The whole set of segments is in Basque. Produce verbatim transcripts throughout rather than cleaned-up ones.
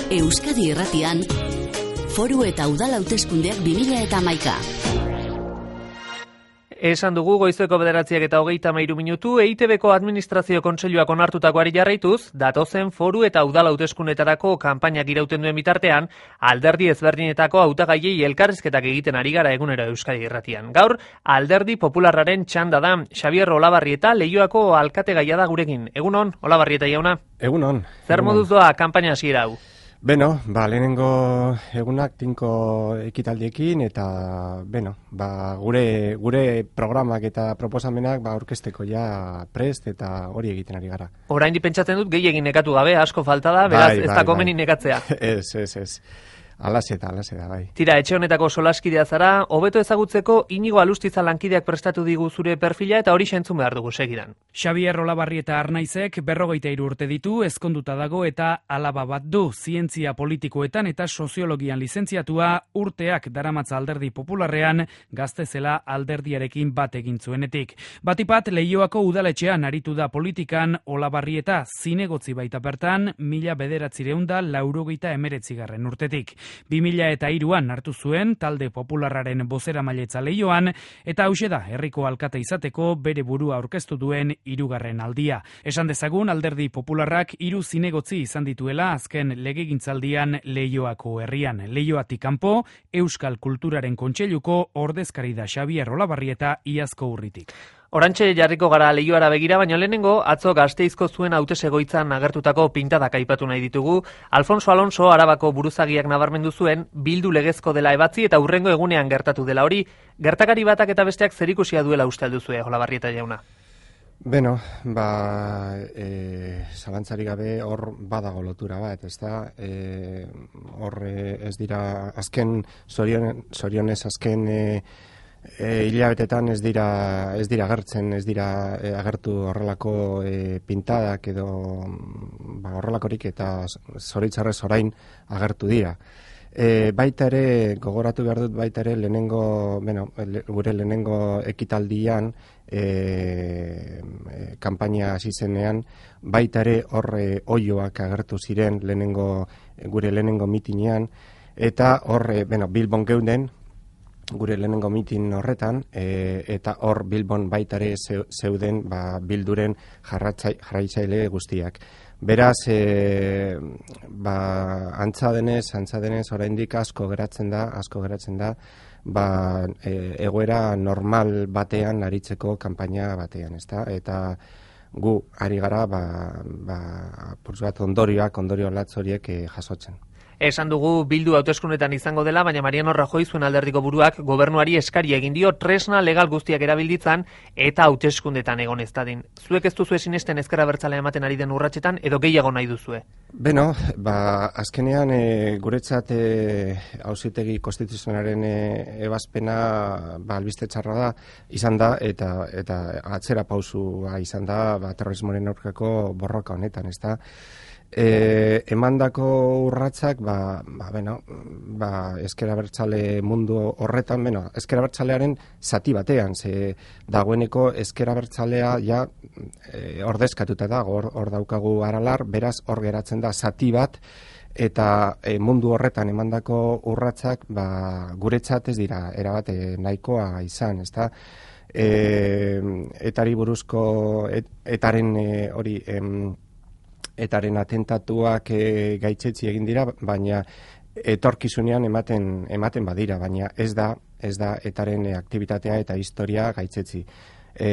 Euskadi Irratian, Foru eta Udal hauteskundeak bi mila hamaika. Esan dugu goizeko bederatziak eta hogeita hamairu minutu, E I Te Beko Administrazio Kontseiluak onartutakoari jarraituz, datozen foru eta udal hauteskundeetarako kanpainak irauten duen bitartean, alderdi ezberdinetako hautagaiei elkarrizketak egiten ari gara egunero Euskadi Irratian. Gaur, alderdi popularraren txanda da, Xabier Olabarrieta Leioako alkategaia da gurekin. Egunon, Olabarrieta jauna? Egunon. Zer moduz doa kanpaina hasiera hau? Beno, ba, lehenengo egunak tinko ekitaldiekin eta, beno, ba, gure, gure programak eta proposamenak ba, orkesteko ja prest eta hori egiten ari gara. Oraindik pentsatzen dut gehiegin nekatu gabe, asko falta da, beraz bai, ez bai, da komeni bai. Nekatzea. Ez, ez, ez. Alaseta, alaseta, bai. Tira, etxe honetako solaskidea zara, hobeto ezagutzeko Inigo Alustiza lankideak prestatu digu zure perfila eta hori entzun behar dugu segidan. Xabier Olabarrieta Arnaizek berrogeita hiru urte ditu, ezkonduta dago eta alaba bat du, zientzia politikoetan eta soziologian lizentziatua, urteak daramatza alderdi popularrean, gazte zela alderdiarekin bat egin zuenetik. Batipat, Leioako udaletxean aritu da politikan, Olabarrieta zinegotzi baita bertan, mila bederatzireunda laurogeita emeretzigarren urtetik. bi mila eta hiruan hartu zuen talde popularraren bozeramailetza Leioan eta hauxe da herriko alkate izateko bere burua aurkeztu duen hirugarren aldia. Esan dezagun alderdi popularrak hiru zinegotzi izan dituela azken legegintzaldian Leioako herrian. Leioatik kanpo Euskal Kulturaren Kontseiluko ordezkari da Xabier Olabarrieta iazko urritik. Orantxe jarriko gara Leioara begira, baina lehenengo atzo Gasteizko zuen hautesgoitzan agertutako pintadak aipatu nahi ditugu. Alfonso Alonso Arabako buruzagiak nabarmendu zuen Bildu legezko dela ebatzi eta hurrengo egunean gertatu dela hori. Gertakari batak eta besteak zerikusia duela uste alduzue, Olabarrieta jauna? Beno, ba, e, zalantzari gabe hor badago lotura bat, ez da? E, hor ez dira azken, zorionez azken e, E, hilabetetan ez dira ez dira agertzen, ez dira e, agertu horrelako e, pintadak edo ba, horrelakorik eta zoritzarrez orain agertu dira. E, baita ere, gogoratu behar dut baita ere, lehenengo, bueno, le, gure lehenengo ekitaldian, e, e, kanpaina hasi zenean, baita ere horre oioak agertu ziren lehenengo, gure lehenengo mitinean, eta horre, bueno, Bilbon geunden, gure lehenengo mitin horretan, e, eta hor Bilbon baitare zeuden ba, Bilduren jarraitzaile guztiak. Beraz, e, ba, antza denez, antza denez, oraindik asko geratzen da, asko geratzen da, ba, e, egoera normal batean aritzeko kanpaina batean, ezta? Eta gu ari gara, ba, ba, bat ondorioak, ondorio latz horiek e, jasotzen. Esan dugu Bildu hauteskundetan izango dela, baina Mariano Rajoy zuen alderdiko buruak gobernuari eskari egin dio tresna legal guztiak erabilditzan eta hauteskundetan egon ez dadin. Zuek ez duzue sinesten ezker abertzalea ematen ari den urratsetan edo gehiago nahi duzue? Beno, ba, azkenean e, guretzat e, auzitegi konstituzionalaren e, ebazpena ba, albiste txarra da, izan da, eta, eta atzera pausua izan da ba, terrorismoaren aurkako borroka honetan, ez da? E, emandako urratsak ba, ba, bueno, ba, ezker abertzale mundu horretan, bueno, ezker abertzalearen zati batean, ze dagoeneko ezker abertzalea ja e, ordezkatuta da, hor, hor daukagu Aralar, beraz hor geratzen da zati bat, eta e, mundu horretan emandako urratsak ba, guretzat ez dira erabate nahikoa izan, ezta? E, etari buruzko et, etaren e, hori em, etaren atentatuak e, gaitzetsi egin dira, baina etorkizunean ematen ematen badira, baina ez da ez da etaren aktibitatea eta historia gaitzetsi. E,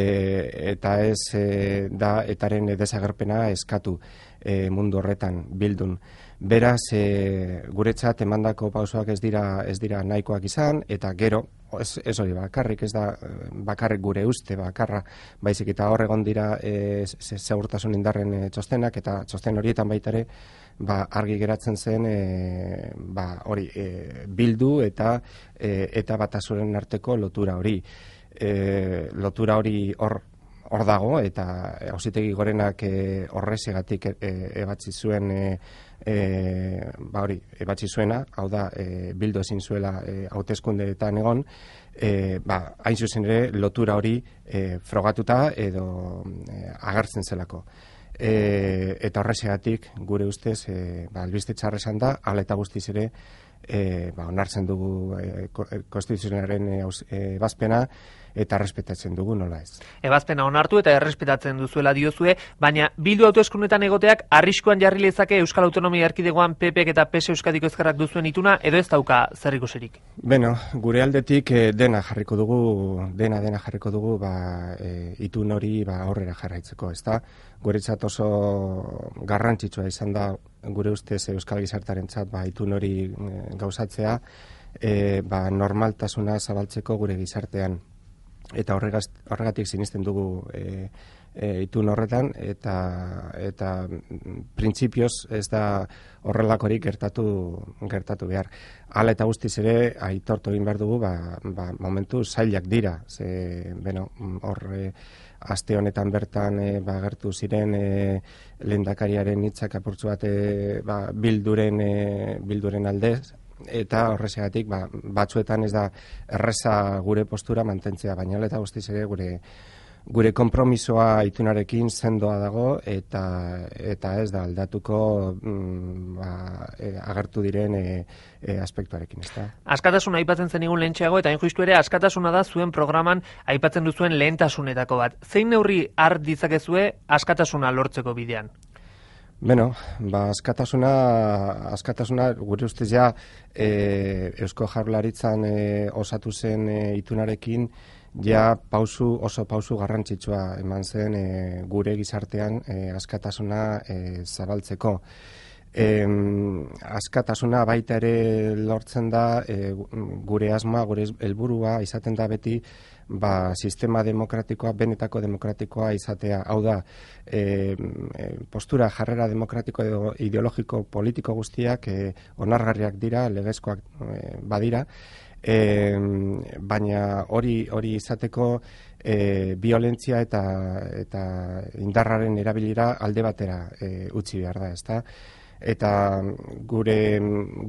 eta ez e, da etaren desagerpena eskatu e, mundu horretan Bildun. Beraz, e, guretzat emandako pausoak ez dira ez dira nahikoak izan, eta gero, ez, ez hori bakarrik, ez da bakarrik gure uste bakarra, baizik eta hor egon dira e, segurtasun indarren e, txostenak, eta txosten horietan baita ere, ba, argi geratzen zen e, ba, hori, e, Bildu eta e, eta Batasuren arteko lotura hori. E, lotura hori hor hor dago, eta Auzitegi Gorenak e, horrezegatik e, ebatzi zuen e, e, ba hori, ebatzi zuena, hau da, e, Bildu ezin zuela e, hauteskundeetan egon, e, ba, hain zuzen ere lotura hori e, frogatuta edo e, agertzen zelako. e, eta horrexegatik gure ustez e, ba, albiste txarra esan da, hala eta guztiz ere e, ba, onartzen dugu e, konstituzionalaren ebazpena eta errespetatzen dugu, nola ez. Ebazpena onartu eta errespetatzen duzuela diozue, baina Bildu hauteskundetan egoteak arriskuan jarri lezake Euskal Autonomia Erkidegoan P Pk eta P S Euskadiko Ezkerrak duzuen ituna, edo ez dauka zer ikusirik? Beno, gure aldetik e, dena jarriko dugu, dena dena jarriko dugu, ba, e, itun hori ba, aurrera jarraitzeko, ezta? Guretzat oso garrantzitsua izan da, gure ustez Euskal Gizartarentzat ba, itun hori e, gauzatzea, e, ba, normaltasuna zabaltzeko gure gizartean. Eta horregaz, horregatik sinisten dugu e, e, itun horretan, eta eta printzipioz ez da horrelakorik gertatu gertatu behar. Hala eta guztiz ere aitortu egin behar dugu, ba, ba, momentu zailak dira. Ze, beno, hor e, aste honetan bertan e, ba, gertu ziren e, lehendakariaren hitzak apurtzu bat e, ba, bilduren e, bilduren aldez, eta horrexegatik ba, batzuetan ez da erreza gure postura mantentzea, baina eta guztiz ere gure gure konpromisoa itunarekin sendoa dago eta eta ez da aldatuko mm, ba, e, agertu diren e, e, aspektuarekin, ezta. Askatasuna aipatzen zenigun lehentxeago, eta hain justu ere askatasuna da zuen programan aipatzen duzuen lehentasunetako bat. Zein neurri har ditzakezue askatasuna lortzeko bidean? Beno, ba, askatasuna, askatasuna gure ustez ja e, Eusko Jaurlaritzan e, osatu zen e, itunarekin ja pausu, oso pausu garrantzitsua eman zen e, gure gizartean e, askatasuna e, zabaltzeko. E, askatasuna baita ere lortzen da e, gure asmoa, gure helburua izaten da beti ba, sistema demokratikoa, benetako demokratikoa izatea. Hau da, e, postura jarrera demokratiko edo ideologiko politiko guztiak e, onargarriak dira, legezkoak e, badira, e, baina hori hori izateko e, violentzia eta, eta indarraren erabilera alde batera e, utzi behar da, ezta? Eta gure,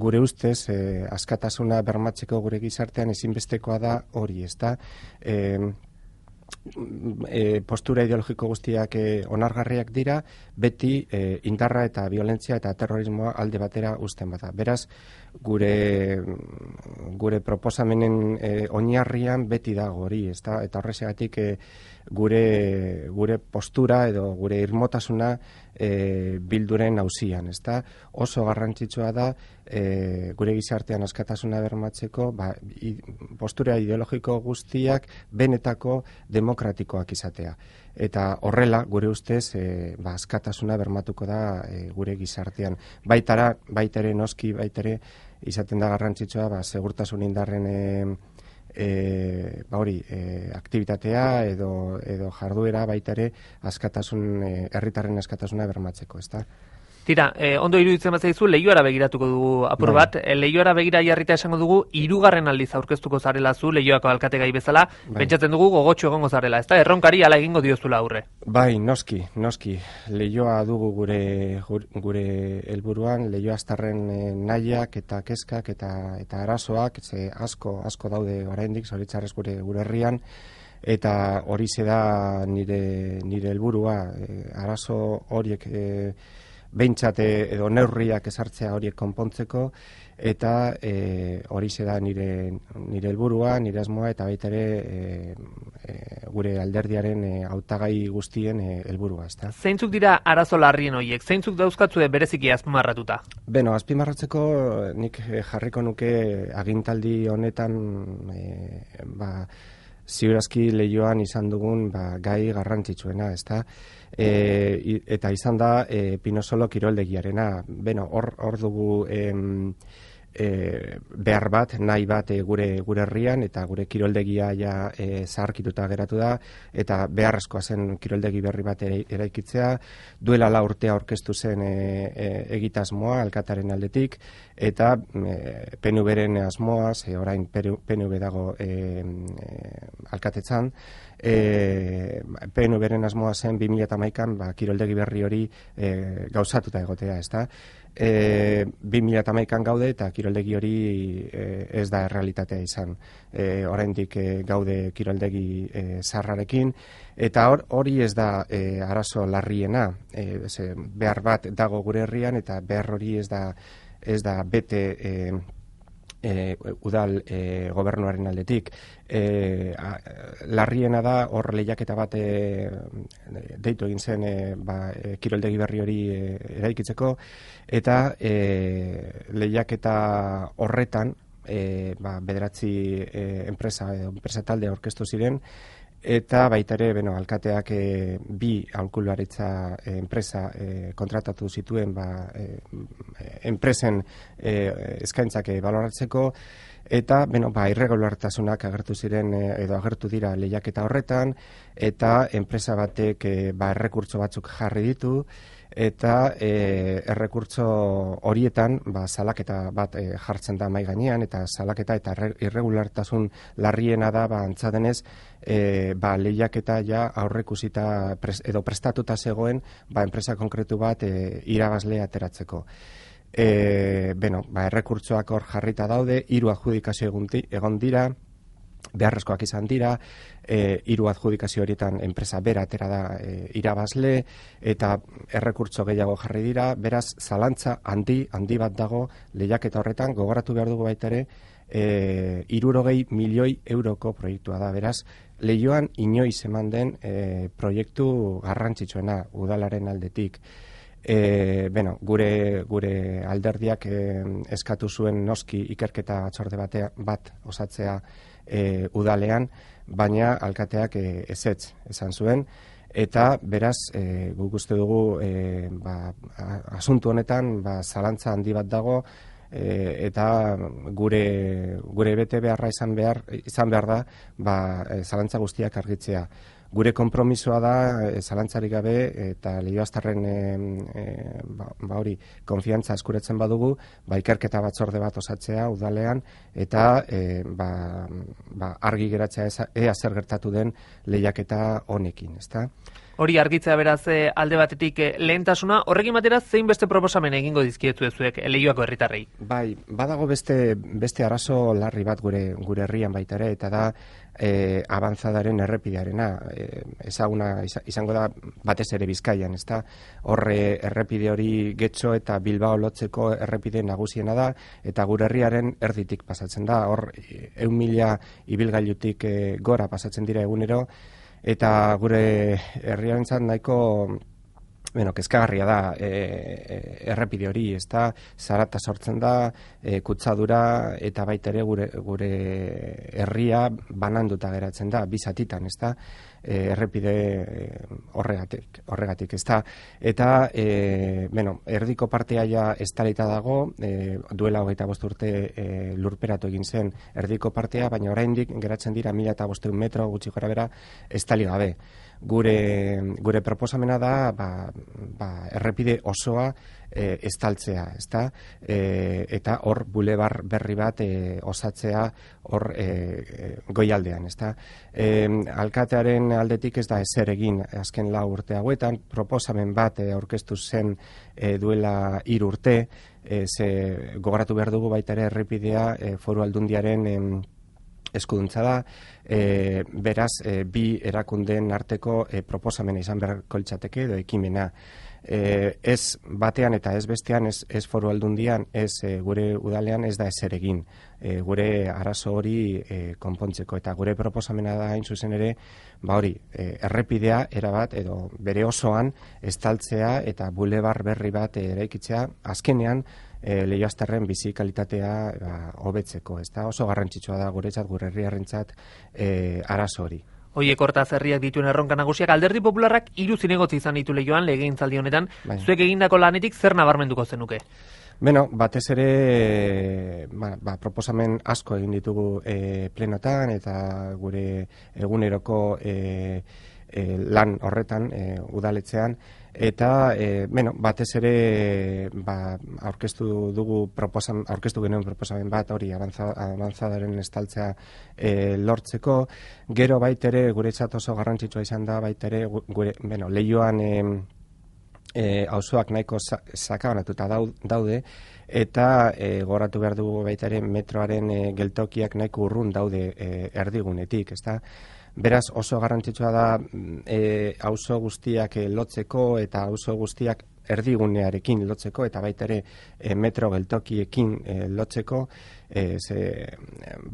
gure ustez, eh, askatasuna bermatzeko gure gizartean ezinbestekoa da hori, ezta? Eh, e, postura ideologiko guztiak e, onargarriak dira, beti e, indarra eta violentzia eta terrorismoa alde batera uzten bada. Beraz, gure gure proposamenen e, oinarrian beti dago hori, ezta? Eta horrexegatik e, gure gure postura edo gure irmotasuna e, bilduren auzian, ezta? Oso garrantzitsua da e, gure gizartean askatasuna bermatzeko, ba, i, postura ideologiko guztiak benetako demokratikoak izatea. Eta horrela, gure ustez, e, ba, askatasuna bermatuko da e, gure gizartean. Baitara, baitere noski, baitere, izaten da garrantzitsua, ba, segurtasun indarren e, e, ba hori, e, aktibitatea edo, edo jarduera baitare askatasun, e, herritarren askatasuna bermatzeko, ezta? Tira, eh, ondo iruditzen bat zaizu, Leioara begiratuko dugu apur bat. Bai. Leioara begira jarrita esango dugu, hirugarren aldiz aurkeztuko zarela zu, Leioako alkategai bezala. Bai. Pentsatzen dugu gogotxo egongo zarela, ezta? Erronkari hala egingo diozula aurre. Bai, noski, noski. Leioa dugu gure gure helburuan, Leioa aztarren e, nahiak eta kezkak eta eta arazoak, ze asko asko daude oraindik zoritxarrez gure gure herrian. Eta hori da nire nire helburua, e, arazo horiek e, behintzat edo neurriak ezartzea horiek konpontzeko, eta e, hori da nire nire helburua, nire asmoa, eta baita ere e, e, gure alderdiaren e, hautagai guztien e, helburua, ezta. Zeintzuk dira arazo larrien horiek? Zeintzuk dauzkatzue bereziki azpimarratuta? Beno, azpimarratzeko nik jarriko nuke agintaldi honetan e, ba, ziurazki Leioan izan dugun ba, gai garrantzitsuena, ezta? E, eta izan da e, Pinosolo kiroldegiarena. Beno, hor hor dugu em, e, behar bat, nahi bat e, gure gure herrian, eta gure kiroldegia ja e, zaharkituta geratu da, eta beharrezkoa zen kiroldegi berri bat ere, eraikitzea. Duela la urtea aurkeztu zen e, e, egitasmoa alkataren aldetik, eta e, P N V-ren asmoa, ze orain P N V dago e, e, alkatetzan, e, P N Vren asmoa zen bi mila hamaikan ba, kiroldegi berri hori e, gauzatuta egotea, ezta? E, bi mila hamaikan gaude eta kiroldegi hori e, ez da errealitatea izan. E, oraindik e, gaude kiroldegi e, zarrarekin, eta hor, hori ez da e, arazo larriena. E, ze, behar bat dago gure herrian eta behar hori ez da, ez da bete e, E, udal e, gobernuaren aldetik. E, a, larriena da hor lehiaketa bat e, deitu egin zen e, ba, e, kiroldegi berri hori e, eraikitzeko, eta e, lehiaketa horretan e, ba, bederatzi e, enpresa, e, enpresa talde aurkeztu ziren, eta baita ere, bueno, alkateak e, bi aholkularitza e, enpresa e, kontratatu zituen ba, e, enpresen e, eskaintzak e, baloratzeko, eta bueno, ba, irregulartasunak agertu ziren e, edo agertu dira lehiaketa horretan, eta enpresa batek e, ba, errekurtso batzuk jarri ditu, eta e, errekurtso horietan ba, salaketa bat e, jartzen da mai gainean, eta salaketa eta irregulartasun larriena da ba, antza denez e, ba, lehiaketa ja aurreikusita pres, edo prestatuta zegoen ba, enpresa konkretu bat e, irabazle ateratzeko. E, bueno, ba, errekurtsoak hor jarrita daude, hiru adjudikazio egon dira, beharrezkoak izan dira, e, hiru adjudikazio horietan enpresa bera atera da e, irabazle, eta errekurtso gehiago jarri dira, beraz zalantza handi, handi bat dago lehiaketa horretan, gogoratu behar dugu baita ere, e, hirurogei milioi euroko proiektua da, beraz, Leioan inoiz eman den e, proiektu garrantzitsuena udalaren aldetik. E, bueno, gure, gure alderdiak e, eskatu zuen noski ikerketa batzorde batea, bat osatzea e, udalean, baina alkateak e, ezetz esan zuen, eta beraz e, guk uste dugu e, ba, asuntu honetan ba, zalantza handi bat dago, e, eta gure, gure bete beharra izan behar, izan behar da ba, e, zalantza guztiak argitzea. Gure konpromisoa da, e, zalantzarik gabe, eta Leioaztarren e, e, ba, ba hori, konfiantza eskuratzen badugu, ba, ikerketa batzorde bat osatzea udalean, eta e, ba, ba, argi geratzea eza, ea zer gertatu den lehiaketa honekin, ezta? Hori argitzea beraz alde batetik lehentasuna, horrekin batera zein beste proposamen egingo dizkietu ezuek Leioako herritarrei? Bai, badago beste, beste arazo larri bat gure, gure herrian baita ere, eta da e, abantzadaren errepidearena. E, ezaguna izango da batez ere Bizkaian, ezta? Horre errepide hori Getxo eta Bilbao lotzeko errepide nagusiena da, eta gure herriaren erditik pasatzen da. Hor, ehun mila ibilgailutik e, gora pasatzen dira egunero, eta gure herriarentzat nahiko bueno, kezkagarria da e, e, errepide hori, ezta zarata sortzen da, e, kutsadura eta baita ere gure, gure herria bananduta geratzen da, bi zatitan, ezta e, errepide horregatik, horregatik, ezta. Eta e, bueno, erdiko partea ja estalita dago, e, duela hogeita bost urte e, lurperatu egin zen erdiko partea, baina oraindik geratzen dira mila eta bostehun metro gutxi gora bera estali gabe. Gure, gure proposamena da ba, ba, errepide osoa e, estaltzea, ezta? E, eta hor bulebar berri bat e, osatzea hor e, goialdean, ezta? E, alkatearen aldetik ez da ezer egin azken lau urte hauetan, proposamen bat e, aurkeztu zen e, duela hiru urte, e, ze gogoratu behar dugu baita ere errepidea e, Foru Aldundiaren e, eskuduntza da, e, beraz, e, bi erakundeen arteko e, proposamena izan beharko litzateke edo ekimena. E, ez batean eta ez bestean, ez, ez Foru Aldundian, ez e, gure udalean ez da ezer egin. E, gure arazo hori e, konpontzeko, eta gure proposamena da hain zuzen ere, ba hori, e, errepidea erabat edo bere osoan estaltzea eta bulebar berri bat eraikitzea, azkenean E, Leioaztarren bizi kalitatea ba, hobetzeko, ez da oso garrantzitsua da guretzat, gure herriarrentzat e, arazo hori. Oiek hortaz herriak dituen erronka nagusiak, Alderdi Popularrak hiru zinegotzi izan ditu Leioan legegintzaldi honetan, bai. Zuek egindako lanetik zer nabarmenduko zenuke? Beno, batez ere ba, ba, proposamen asko egin ditugu e, plenotan eta gure eguneroko e, e, lan horretan e, udaletzean, eta e, bueno, batez ere ba, aurkeztu dugu proposamen, aurkeztu genuen proposamen bat hori avanzadaren estaltzea e, lortzeko, gero baitere guretzat oso garrantzitsua izan da baitere gure, bueno, Leioan e, e, auzoak nahiko sakabanatuta daude, eta e, goratu behar dugu baitere metroaren e, geltokiak nahiko urrun daude e, erdigunetik, ezta? Beraz oso garrantzitsua da e, auzo guztiak e, lotzeko eta auzo guztiak erdigunearekin lotzeko eta baita ere e, metro geltokiekin e, lotzeko e, ze,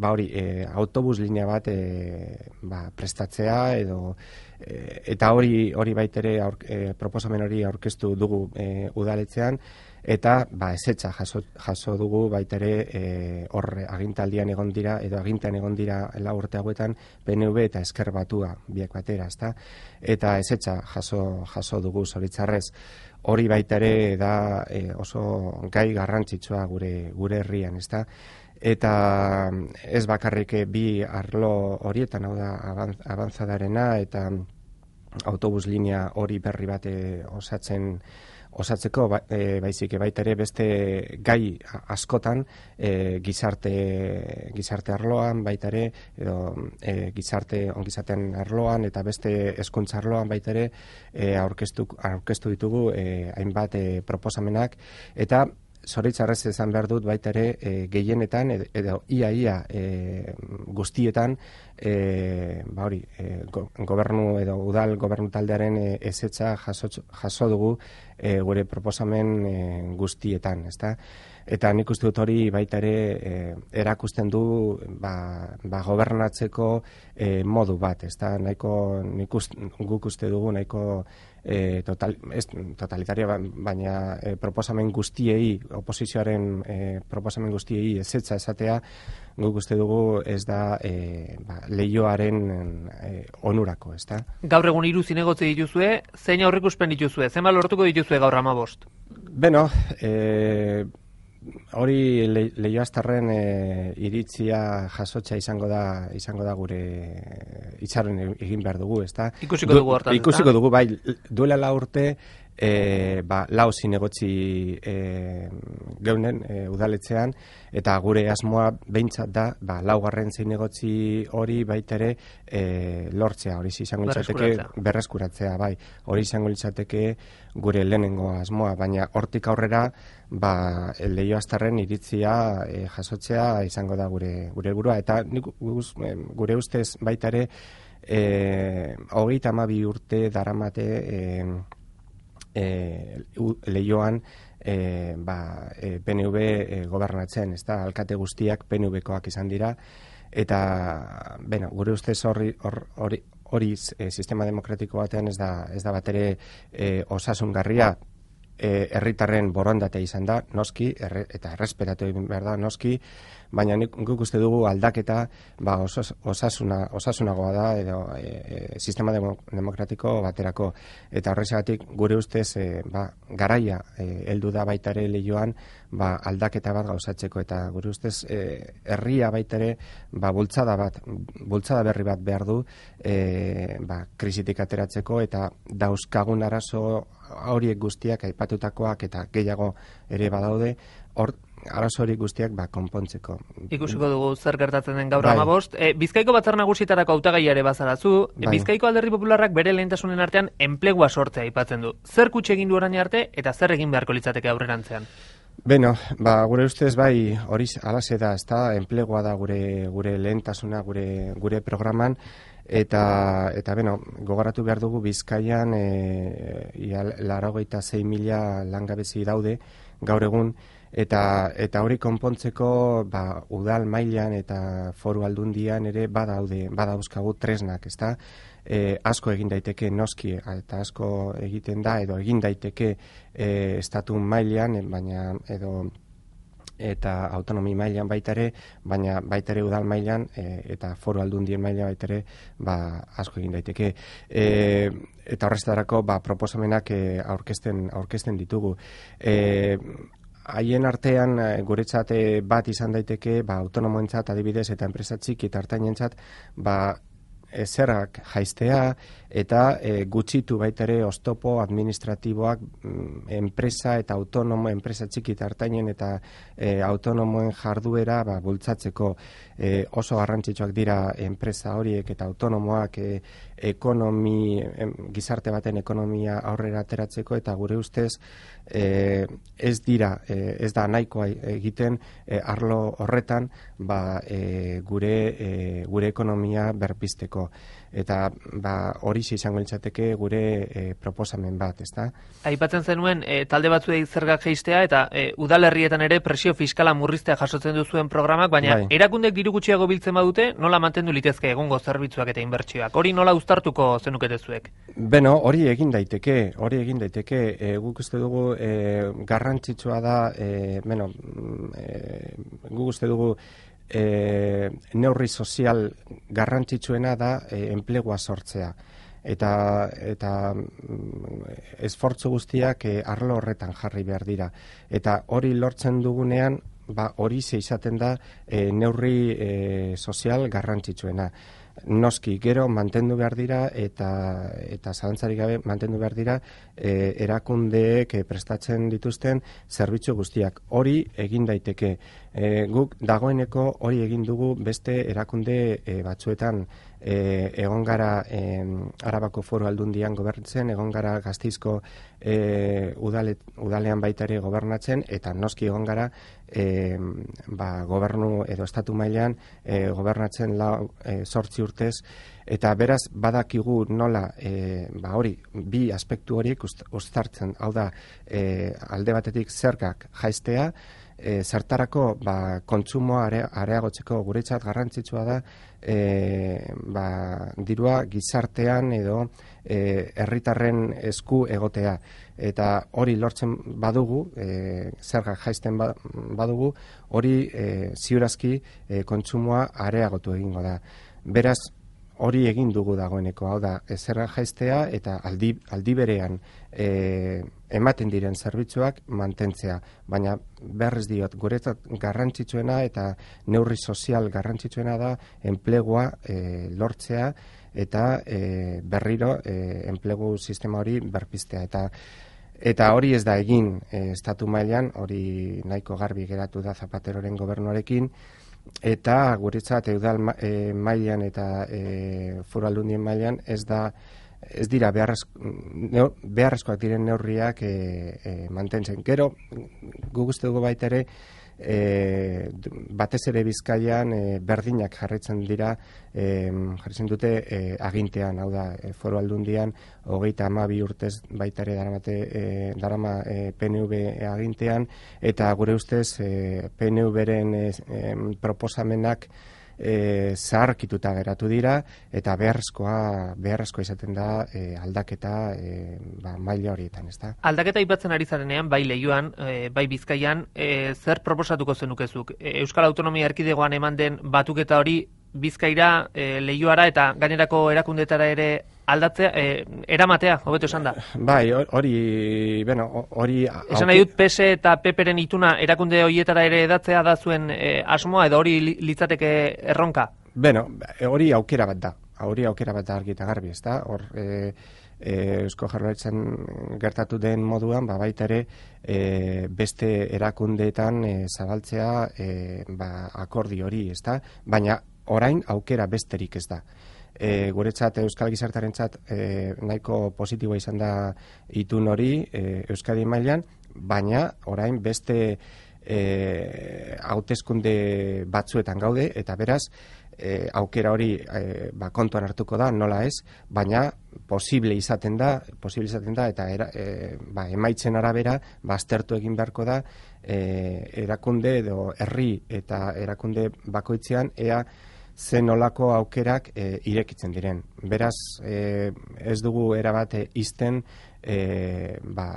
ba hori e, autobus linea bat e, ba, prestatzea edo e, eta hori hori baita ere aur, e, proposamen hori aurkeztu dugu e, udaletzean. Eta ba, ezetza jaso, jaso dugu baita ere e, horre agintaldian egon dira edo agintean egon dira lau urte hauetan P N V eta Ezker Batua biak batera, ezta? Eta ezetza jaso, jaso dugu zoritzarrez. Hori baita ere da e, oso gai garrantzitsua gure gure herrian, ezta? Eta ez bakarrik bi arlo horietan, hau da avanzadarena eta autobus linea hori berri bat osatzen osatzeko ba, e, baizik baita ere beste gai askotan e, gizarte gizarte arloan baita ere edo e, gizarte ongizatean arloan eta beste hezkuntza arloan baita ere e, aurkeztu aurkeztu ditugu e, hainbat e, proposamenak eta zoritzarrez esan behar dut baita ere e, gehienetan edo, edo ia ia e, guztietan e, ba hori e, go, gobernu edo udal gobernu taldearen e, ezetza jaso, jaso dugu e, gure proposamen e, guztietan, ezta? Eta nik uste dut hori baita ere e, erakusten du ba, ba gobernatzeko e, modu bat, ezta? Nahiko nik uste, guk uste dugu nahiko e, total, ez, totalitaria baina e, proposamen guztiei oposizioaren e, proposamen guztiei ezetza esatea guk uste dugu ez da e, ba, Leioaren e, onurako, ezta? Gaur egun hiru zinegotzi dituzue, zein aurreikuspen dituzue? Zenbat lortuko dituzue gaur hamabost? Beno, eh hori le, Leioaztarren e, iritzia jasotza izango da izango da gure itxaron egin behar dugu, ezta? Ikusiko dugu hortan. Ikusiko dugu, bai, duela la urte e, ba, lau zinegotzi e, geunen e, udaletzean eta gure asmoa behintzat da ba, laugarren zinegotzi hori baita ere e, lortzea, hori izango litzateke berreskuratzea, bai, hori izango litzateke gure lehenengo asmoa, baina hortik aurrera ba Leioaztarren iritzia e, jasotzea izango da gure gure helburua eta nik, gure ustez baita ere eh hogeita hamabi urte daramate eh e, Leioan e, ba, e, P N V e, gobernatzen, ezta? Alkate guztiak P N V-koak izan dira eta bueno, gure ustez hori hori hori e, sistema demokratiko batean ez da ez da batere e, osasungarria. Herritarren borondatea izan da, noski, erre, eta errespetatu egin behar da, noski, baina nik guk uste dugu aldaketa ba, osas, osasuna, osasunagoa da edo e, e, sistema demokratiko baterako. Eta horrexegatik gure ustez e, ba, garaia e, heldu da baita ere Leioan ba, aldaketa bat gauzatzeko eta gure ustez e, herria baita ere ba, bultzada bat, bultzada berri bat behar du e, ba, krisitik ateratzeko eta dauzkagun arazo horiek guztiak aipatutakoak eta gehiago ere badaude hor arazo horiek guztiak ba, konpontzeko. Ikusiko dugu zer gertatzen den gaur hamabost. E, Bizkaiko Batzar Nagusietarako hautagaia ere bazarazu. Bai. Bizkaiko Alderdi Popularrak bere lehentasunen artean enplegua sortzea aipatzen du. Zer kutxe egin du orain arte eta zer egin beharko litzateke aurrerantzean? Beno, ba, gure ustez bai hori alaxe da, ezta, enplegua da gure gure lehentasuna gure gure programan. Eta, eta beno, gogoratu behar dugu Bizkaian e, laurogeita sei mila langabezi daude gaur egun, eta eta hori konpontzeko ba, udal mailan eta foru aldundian ere badaude, badauzkagu tresnak, ezta? E, asko egin daiteke noski eta asko egiten da edo egin daiteke e, estatu mailan, baina edo eta autonomi mailan baita ere, baina baita ere udal mailan e, eta foru aldundien mailan baita ere ba, asko egin daiteke. E, eta horreztarako ba, proposamenak e, aurkezten, aurkezten ditugu. E, haien artean guretzat bat izan daiteke ba, autonomoentzat adibidez eta enpresa txiki eta hartainentzat ba, e, zergak jaistea eta e, gutxitu baita ere oztopo administratiboak mm, enpresa eta autonomo, enpresa txiki eta ertainen eta e, autonomoen jarduera ba, bultzatzeko e, oso garrantzitsuak dira enpresa horiek eta autonomoak e, ekonomi, em, gizarte baten ekonomia aurrera ateratzeko eta gure ustez e, ez dira, e, ez da nahikoa egiten e, arlo horretan ba, e, gure, e, gure ekonomia berpizteko. Eta ba, hori izango litzateke gure e, proposamen bat, ezta? Aipatzen zenuen e, talde batzuei zergak jaistea eta e, udalerrietan ere presio fiskala murriztea jasotzen duzuen programak, baina bai. Erakundek diru gutxiago biltzen badute, nola mantendu litezke egungo zerbitzuak eta inbertsioak? Hori nola uztartuko zenukete zuek? Beno, hori egin daiteke, hori egin daiteke, e, guk uste dugu e, garrantzitsua da, e, beno, e, guk uste dugu E, neurri sozial garrantzitsuena da e, enplegua sortzea eta eta esfortzu guztiak e, arlo horretan jarri behar dira eta hori lortzen dugunean ba hori ze izaten da e, neurri e, sozial garrantzitsuena. Noski, gero mantendu behar dira eta eta zalantzarik gabe mantendu behar dira e, erakundeek prestatzen dituzten zerbitzu guztiak. Hori egin daiteke. E, guk dagoeneko hori egin dugu beste erakunde e, batzuetan e, egon gara e, Arabako Foru Aldundian gobernatzen, egon gara Gasteizko e, udale, udalean baita ere gobernatzen eta noski egon gara e, ba, gobernu edo estatu mailan e, gobernatzen lau e, sortzi urtez eta beraz badakigu nola e, ba hori bi aspektu horiek uztartzen, hau da e, alde batetik zergak jaistea, e, zertarako ba, kontsumoa are, areagotzeko guretzat garrantzitsua da e, ba, dirua gizartean edo e, herritarren esku egotea eta hori lortzen badugu, e, zergak jaisten badugu, hori e, ziurazki e, kontsumoa areagotu egingo da. Beraz, hori egin dugu dagoeneko, hau da, zerga jaistea eta aldi, aldi berean e, ematen diren zerbitzuak mantentzea, baina beharrez diot, guretzat garrantzitsuena eta neurri sozial garrantzitsuena da enplegua e, lortzea eta e, berriro e, enplegu sistema hori berpiztea eta Eta hori ez da egin e, estatu mailan, hori nahiko garbi geratu da Zapateroren gobernuarekin, eta guretzat eudal e, mailan eta e, Foru Aldundien mailan ez da ez dira beharrezko, neur, beharrezkoak diren neurriak e, e, mantentzen. Gero, guk uste dugu baita ere, e, batez ere Bizkaian e, berdinak jarraitzen dira, e, jarraitzen dute e, agintean, hau da, e, Foru Aldundian, hogeita hamabi urtez baita ere daramate, e, darama e, P N V agintean, eta gure ustez e, P N V-ren e, e, proposamenak E, zaharkituta geratu dira eta beharrezkoa beharrezkoa izaten da e, aldaketa e, ba, maila horietan, ezta? Aldaketa aipatzen ari zarenean, bai Leioan, e, bai Bizkaian, e, zer proposatuko zenukezuk? E, Euskal Autonomia Erkidegoan eman den batuketa hori Bizkaira, e, Leioara eta gainerako erakundetara ere aldatzea, e, eramatea, hobeto esan da. Bai, hori, bueno, hori... Esan nahi dut P S eta P P-ren ituna erakunde horietara ere edatzea da zuen e, asmoa, edo hori litzateke erronka? Bueno, hori aukera bat da, hori aukera bat da argi eta garbi, ez da? Hor, e, e, Eusko Jaurlaritzan gertatu den moduan, ba, baita ere, e, beste erakundeetan e, zabaltzea e, ba, akordi hori, ez da? Baina orain aukera besterik ez da. E, guretzat Euskal Gizartarentzat e, nahiko positiboa izan da itun hori e, Euskadi mailan, baina orain beste e, hauteskunde batzuetan gaude eta beraz e, aukera hori e, ba, kontuan hartuko da, nola ez, baina posible izaten da, posible izaten da eta era, e, ba, emaitzen arabera baztertu egin beharko da e, erakunde edo herri eta erakunde bakoitzean ea zen olako aukerak e, irekitzen diren. Beraz, e, ez dugu erabat izten e, ba,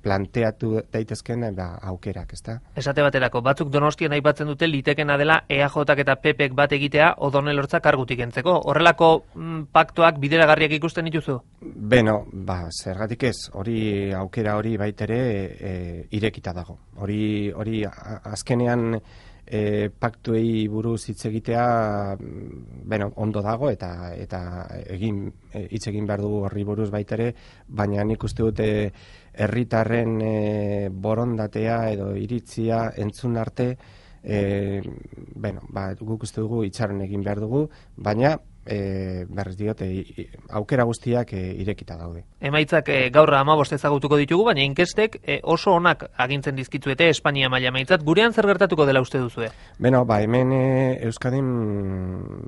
planteatu daitezken ba, aukerak, ezta? Esate baterako, batzuk Donostian aipatzen dute litekena dela E A Jak eta P Pek bat egitea Odone Elortza kargutik entzeko. Horrelako mm, paktuak bideragarriak ikusten dituzu? Beno, ba, zergatik ez, hori aukera hori baitere e, irekita dago. Hori, hori azkenean e, paktuei buruz hitz egitea, bueno, ondo dago eta eta egin hitz egin behar dugu horri buruz baita ere, baina nik uste dute herritarren e, borondatea edo iritzia entzun arte, e, bueno, ba, guk uste dugu itxaron egin behar dugu, baina E, berriz diote, aukera guztiak e, irekita daude. Emaitzak e, gaur hamabost ezagutuko ditugu, baina inkestek e, oso onak agintzen dizkitzuete Espainia maila emaitzat. Gurean zer gertatuko dela uste duzue? Beno, ba, hemen e, Euskadin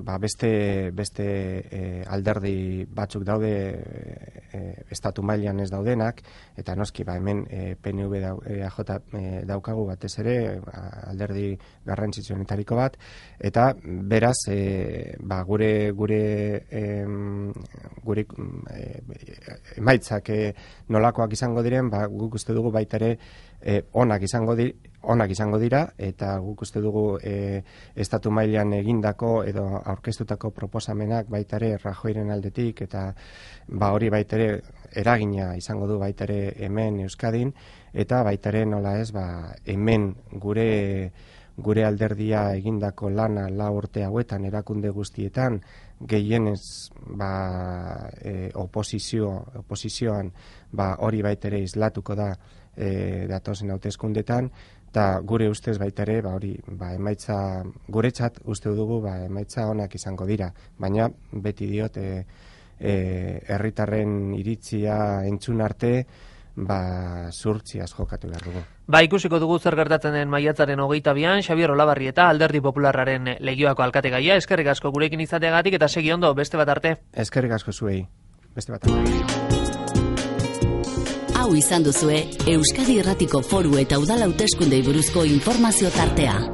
ba, beste, beste e, alderdi batzuk daude e, estatu mailan ez daudenak, eta noski, ba, hemen e, P N V dau, e, A J e, daukagu batez ere, alderdi garrantzitsuenetariko bat, eta beraz, e, ba, gure gure em, gure e, emaitzak e, nolakoak izango diren, ba, guk uste dugu baita ere e, onak izango di, onak izango dira, eta guk uste dugu e, estatu mailan egindako edo aurkeztutako proposamenak baita ere Rajoyren aldetik, eta ba, hori baita ere eragina izango du baita ere hemen Euskadin, eta baita ere nola ez, ba, hemen gure gure alderdia egindako lana lau urte hauetan erakunde guztietan gehienez ba, e, oposizio, oposizioan ba, hori baita ere islatuko da e, datozen hauteskundetan, eta gure ustez baita ere ba, hori ba, emaitza guretzat uste dugu ba, emaitza onak izango dira, baina beti diot e, e, herritarren iritzia entzun arte ba, zurtziaz jokatu behar dugu. Ba, ikusiko dugu zer gertatzen den maiatzaren hogeita bian, Xabier Olabarrieta, Alderdi Popularraren Legioako alkategaia, eskerrik asko gurekin izateagatik eta segi ondo, beste bat arte. Eskerrik asko zuei, beste bat arte. Hau izan duzue, Euskadi Irratiko Foru eta Udal Hauteskundei buruzko informazio tartea.